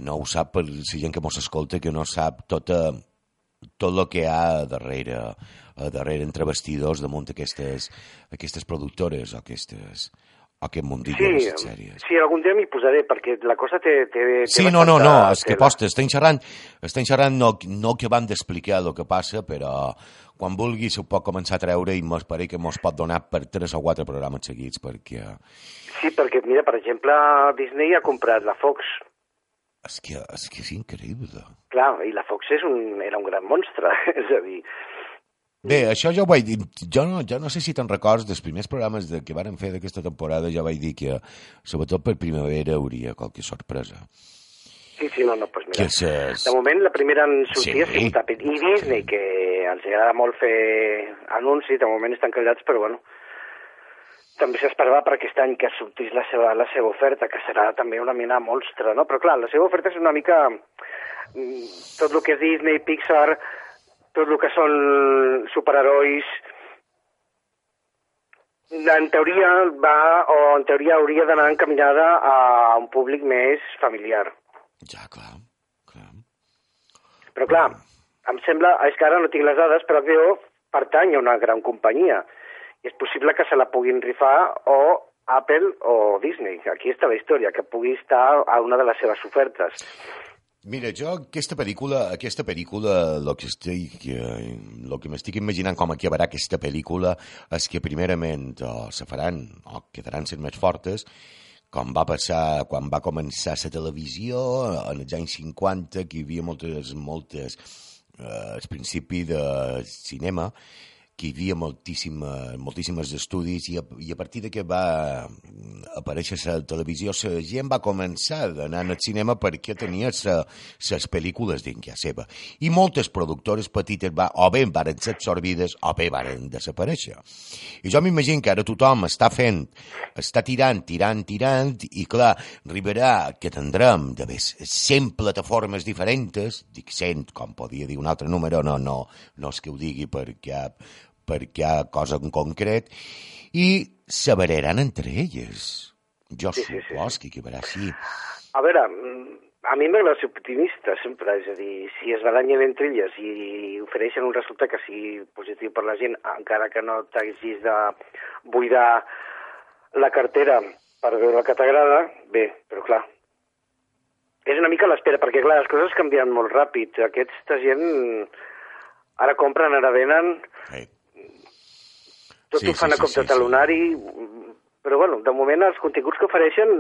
no ho sap, per la gent que mos escolta, que no sap tot el que hi ha darrere entre vestidors damunt aquestes productores o aquest mundillo de les sèries. Sí, algun dia m'hi posaré, perquè la cosa té sí, no, és que posta, estem xerrant no que van d'explicar el que passa, però quan vulgui s'ho pot començar a treure i m'espero que mos pot donar per 3 o 4 programes seguits, perquè... Sí, perquè, mira, per exemple, Disney ha comprat la Fox. És que és increïble. Clar, i la Fox era un gran monstre, és a dir... Bé, això ja ho vaig dir. Jo no sé si te'n records dels primers programes que varen fer d'aquesta temporada, ja vaig dir que, sobretot per primavera, hauria qualque sorpresa. Sí, no, doncs mira. De moment, la primera en sortir ha sigut Apple. I Disney, que els agrada molt fer anuncis, de moment estan callats, però bueno, també s'esperava per aquest any que sortís la seva oferta, que serà també una mena monstre, no? Però clar, la seva oferta és una mica... Tot el que és Disney, Pixar... tot el que són superherois, en teoria hauria d'anar encaminada a un públic més familiar. Ja, clar. Però clar, em sembla, és que ara no tinc les dades, però HBO pertany a una gran companyia i és possible que se la puguin rifar o Apple o Disney. Aquí està la història, que pugui estar a una de les seves ofertes. Mira, jo aquesta pel·lícula, el que m'estic imaginant com acabarà aquesta pel·lícula és que primerament se faran, o quedaran sent més fortes, com va passar quan va començar la televisió, en els anys 50, que hi havia moltes al principi de cinema, que hi havia moltíssimes estudis i a partir de que va aparèixer la televisió, la gent va començar d'anar al cinema perquè tenia les pel·lícules dins ja seva. I moltes productores petites o bé varen ser absorbides o bé varen desaparèixer. I jo m'imagino que ara tothom està tirant i clar, arribarà que tindrem d'haver 100 plataformes diferents, dic 100, com podia dir un altre número, no és que ho digui perquè hi ha cosa en concret, i se bararan entre elles. Jo supos que acabarà així. A veure, a mi m'agrada ser optimista sempre, és a dir, si es balanyen entre elles i ofereixen un resultat que sigui positiu per la gent, encara que no t'hagis de buidar la cartera per veure el que t'agrada, bé, però clar, és una mica l'espera, perquè clar, les coses canvien molt ràpid. Aquesta gent ara compren, ara venen... Tot ho fan a compte talonari, però bueno, de moment els continguts que ofereixen,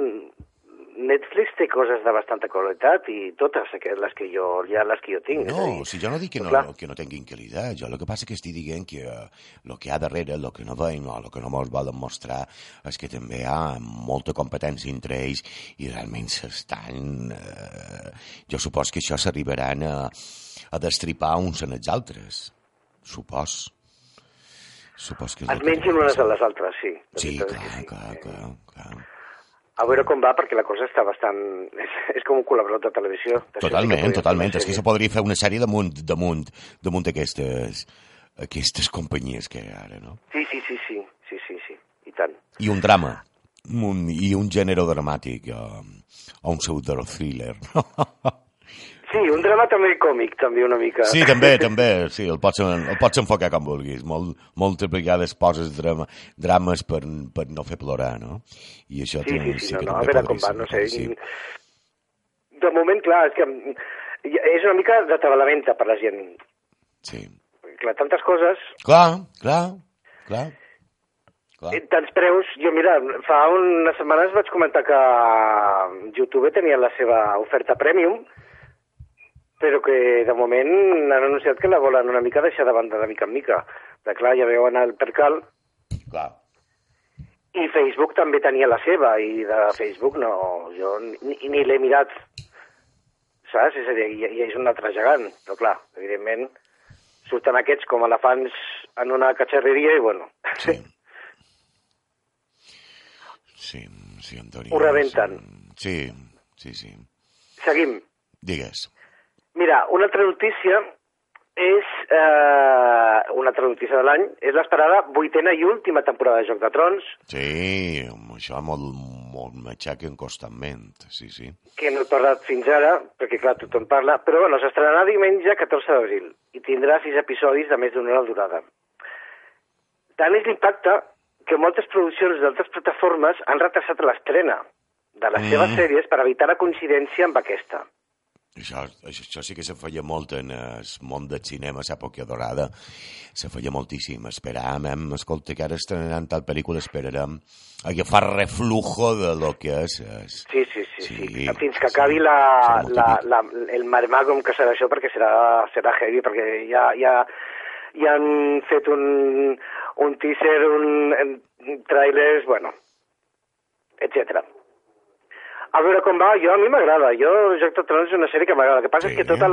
Netflix té coses de bastanta qualitat i totes les que jo tinc. No, si jo no dic que no tinguin qualitat, jo el que passa que estic dient que el que hi ha darrere, el que no veiem o el que no ens volen mostrar és que també hi ha molta competència entre ells i realment s'estan... Jo supos que això s'arribaran a destripar uns en els altres, supos que... Es mengen unes a les altres, sí. Sí, clar. A veure com va, perquè la cosa està bastant... És com un col·laborador de televisió. Totalment. És que se podria fer una sèrie damunt d'aquestes companyies que hi ha ara, no? Sí, i tant. I un drama, i un gènere dramàtic, o un pseudo-thriller, no? Sí, un drama també còmic, també una mica. Sí, també, sí, el pots enfocar com vulguis. Moltes vegades poses drames per no fer plorar, no? I això sí, a veure com va, no sé. Sí. De moment, clar, és que és una mica d'atabalamenta per la gent. Sí. Clar, tantes coses... Clar. Tants preus... Jo, mira, fa unes setmanes vaig comentar que YouTube tenia la seva oferta premium, però que de moment han anunciat que la volen una mica deixar de banda de mica en mica. Però clar, ja veu anar el percal. Clar. I Facebook també tenia la seva, i de Facebook no, jo ni l'he mirat, saps? És a dir, ja és un altre gegant, però clar, evidentment, surten aquests com elefants en una catxarreria i bueno... Sí, Antoni. Ho rebenten. Sí. Seguim. Digues. Mira, una altra notícia de l'any, és l'esperada 8ª i última temporada de Joc de Trons. Sí, això molt m'aixaquen constantment, sí. Que no he parlat fins ara, perquè clar, tothom parla, però bueno, s'estrenarà diumenge 14 d'abril i tindrà 6 episodis de més d'una hora de durada. Tant és l'impacte que moltes produccions d'altres plataformes han retrasat l'estrena de les seves sèries per evitar la coincidència amb aquesta. Això sí que se feia molt en el món del cinema, a l'època dorada. Se feia moltíssim. Esperàvem, escolta, que ara estrenaran tal pel·lícula, esperarem agafar reflujo de lo que és. Sí. Fins que acabi el maremàgum que serà això, perquè serà heavy, perquè ja han fet un teaser, un trailers, bueno, etcètera. A veure com va, a mi m'agrada. Joc de Trons és una sèrie que m'agrada. El que passa és que tot el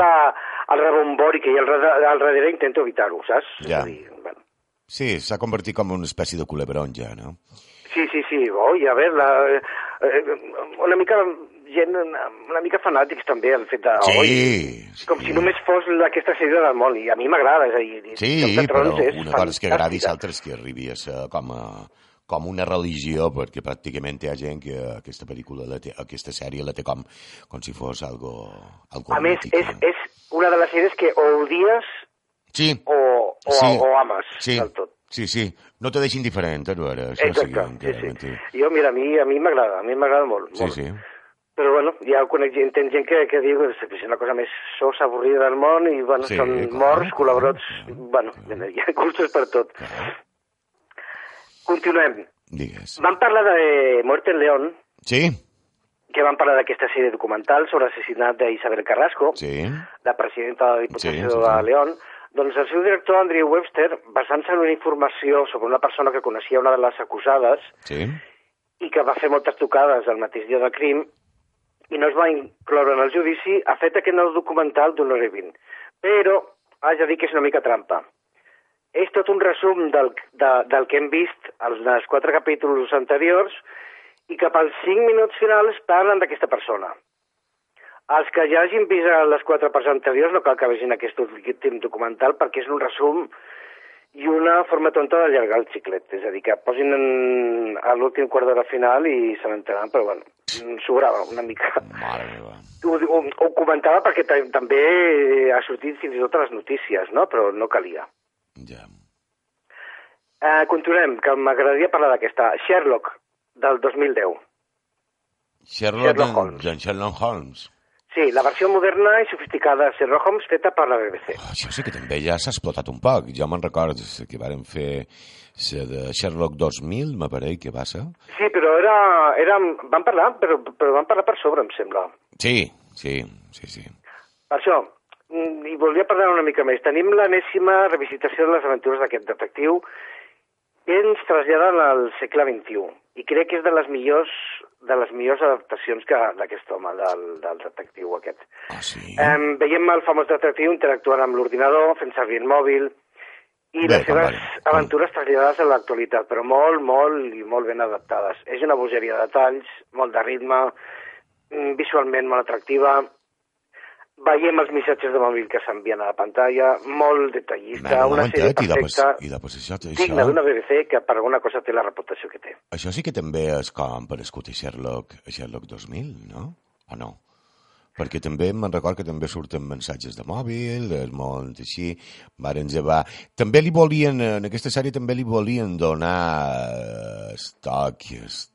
rebombori que hi ha al darrere intento evitar-ho, saps? Ja. Sí, s'ha convertit com una espècie de culebron ja, no? Sí. A veure, una mica gent, una mica fanàtics també, el fet de... Sí. Com si només fos aquesta sèrie del món, i a mi m'agrada, és a dir... Sí, però una cosa és que agradi i l'altra és que arribi a ser com una religió, perquè pràcticament hi ha gent que aquesta pel·lícula, aquesta sèrie la té com si fos algo a més, és una de les sèries que o odies o ames del tot. Sí, no te deixin diferent, ara. Exacte, sí. Jo, mira, a mi m'agrada molt. Sí. Però bueno, ja conec gent que diu que és una cosa més sosa, avorrida del món, i bueno, són morts, col·laborats, bueno, hi ha gustos per tot. Continuem. Digues. Vam parlar de Muerte en León, Sí. Que van parlar d'aquesta sèrie documental sobre l'assassinat d'Isabel Carrasco, la presidenta de la Diputació de León. Doncs el seu director, Andrew Webster, basant-se en una informació sobre una persona que coneixia una de les acusades i que va fer moltes trucades el mateix dia del crim i no es va incloure en el judici, ha fet aquest nou documental d'un hora i 20. Però haig de dir que és una mica trampa. És tot un resum del que hem vist als 4 capítols anteriors i cap als 5 minuts finals parlen d'aquesta persona. Els que ja hagin vist les 4 parts anteriors no cal que vegin aquest últim documental perquè és un resum i una forma tonta d'allargar el xiclet. És a dir, que posin a l'últim quart d'hora final i se n'entenen, però bueno, sobrava una mica. Mare meva. Ho comentava perquè també ha sortit fins i tot a les notícies, no? Però no calia. Ja. Continuem, que m'agradaria parlar d'aquesta. Sherlock, del 2010. Sherlock Holmes. Sí, la versió moderna i sofisticada de Sherlock Holmes feta per la BBC. Això sí que també ja s'ha explotat un poc. Jo me'n recordo que vàrem fer la de Sherlock 2000, m'apareix que va ser. Sí, però van parlar, però van parlar per sobre, em sembla. Sí. Per això, i volia parlar una mica més. Tenim l'enèsima revisitació de les aventures d'aquest detectiu que ens traslladen al segle XXI. I crec que és de les millors adaptacions d'aquest home, del detectiu aquest. Veiem el famós detectiu interactuant amb l'ordinador, fent servir el mòbil, i les seves aventures traslladades a l'actualitat, però molt ben adaptades. És una bogeria de detalls, molt de ritme, visualment molt atractiva. Veiem els missatges de mòbil que s'envien a la pantalla, molt detallista, una sèrie perfecta, digna d'una BBC que per alguna cosa té la reputació que té. Això sí que també és com per escoltar Sherlock 2000, no? O no? Perquè també me'n recordo que també surten missatges de mòbil, és molt així, varen llevar. També en aquesta sèrie també li volien donar estoc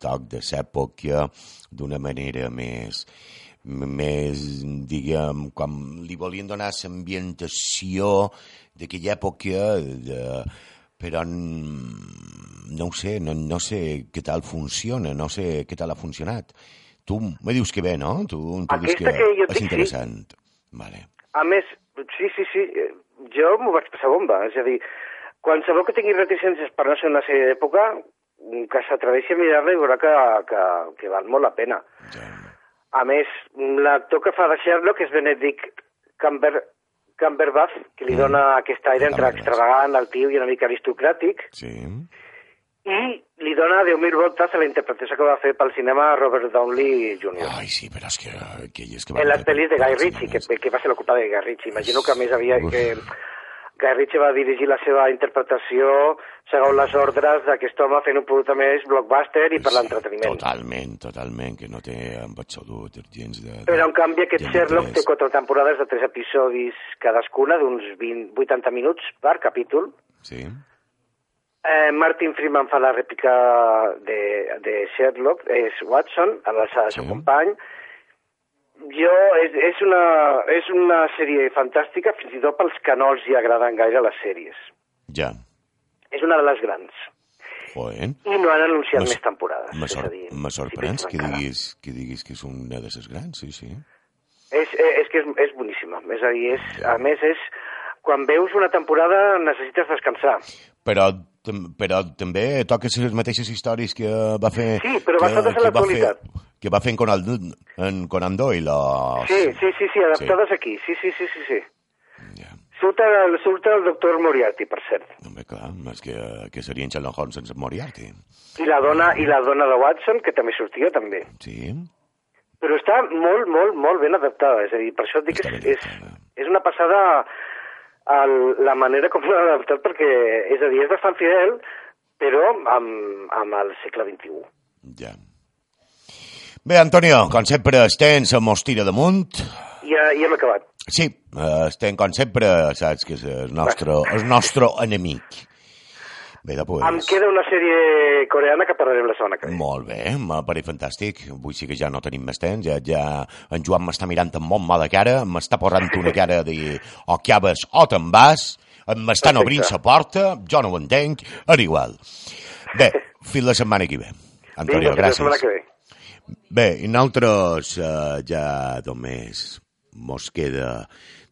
de l'època d'una manera més, diguem, com li volien donar l'ambientació d'aquella època, però no ho sé, no sé què tal funciona, no sé què tal ha funcionat. Tu me dius que bé, no? Tu dius que és interessant. Vale. A més, sí, jo m'ho vaig passar bomba, és a dir, qualsevol que tingui reticències per no ser una sèrie d'època, que s'atreveixi a mirar-la i veurà que val molt la pena. A més, l'actor que fa de Sherlock és Benedict Cumberbatch, que li dona aquest aire entre extravagant, altiu i una mica aristocràtic. Sí. I li dona 10.000 voltes a la interpretació que va fer pel cinema Robert Downey Jr. Ai, sí, però és que en les pel·lis de Guy Ritchie, que va ser l'ocupada de Guy Ritchie. Imagino que a més Guy Ritchie va dirigir la seva interpretació segons les ordres d'aquest home fent un producte més blockbuster i per l'entreteniment. Totalment, que no té en absolut gens de... Però en canvi aquest Sherlock té 4 temporades de 3 episodis cadascuna d'uns 80 minuts per capítol. Sí. Martin Freeman fa la rèplica de Sherlock, és Watson, a l'alçada del seu company. És una sèrie fantàstica, fins i tot pels que no els hi agraden gaire les sèries. Ja. És una de les grans. Joder. I no han anunciat més temporades. Me sorprens que diguis que és una de les grans, sí. És que és boníssima. És a dir, a més, quan veus una temporada necessites descansar. Però també toques les mateixes històries que va fer... Sí, però basades en l'actualitat. Que va fer en Conan Doyle. Sí, adaptades aquí. Sí. Surt el doctor Moriarty, per cert. Home, clar, és que seria en Sherlock Holmes sense Moriarty. I la dona de Watson, que també sortia, també. Sí. Però està molt ben adaptada. És a dir, per això et dic que és una passada la manera com l'han adaptat, perquè, és a dir, és bastant fidel, però amb el segle XXI. Ja. Bé, Antonio, com sempre, estem a Mostira damunt. Ja hem acabat. Sí, estem com sempre, saps que és el nostre enemic. Bé, doncs... Em queda una sèrie coreana que parlarem la setmana que ve. Molt bé, m'ha parit fantàstic. Avui sí que ja no tenim més temps, ja en Joan m'està mirant amb molt mala cara, m'està posant una cara de o acabes o te'n vas, m'estan obrint la porta, jo no ho entenc, era igual. Bé, fins la setmana que ve. Antonio, gràcies. Bé, i nosaltres ja només mos queda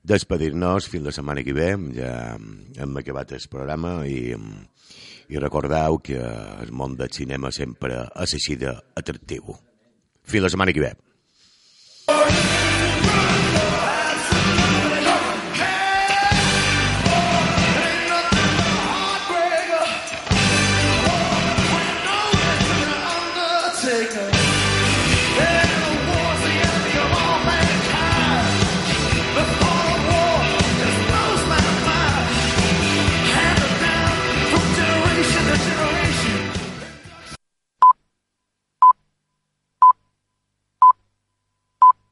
despedir-nos fins la setmana que ve. Ja hem acabat el programa i recordeu que el món del cinema sempre és així d'atractiu. Fins la setmana que ve.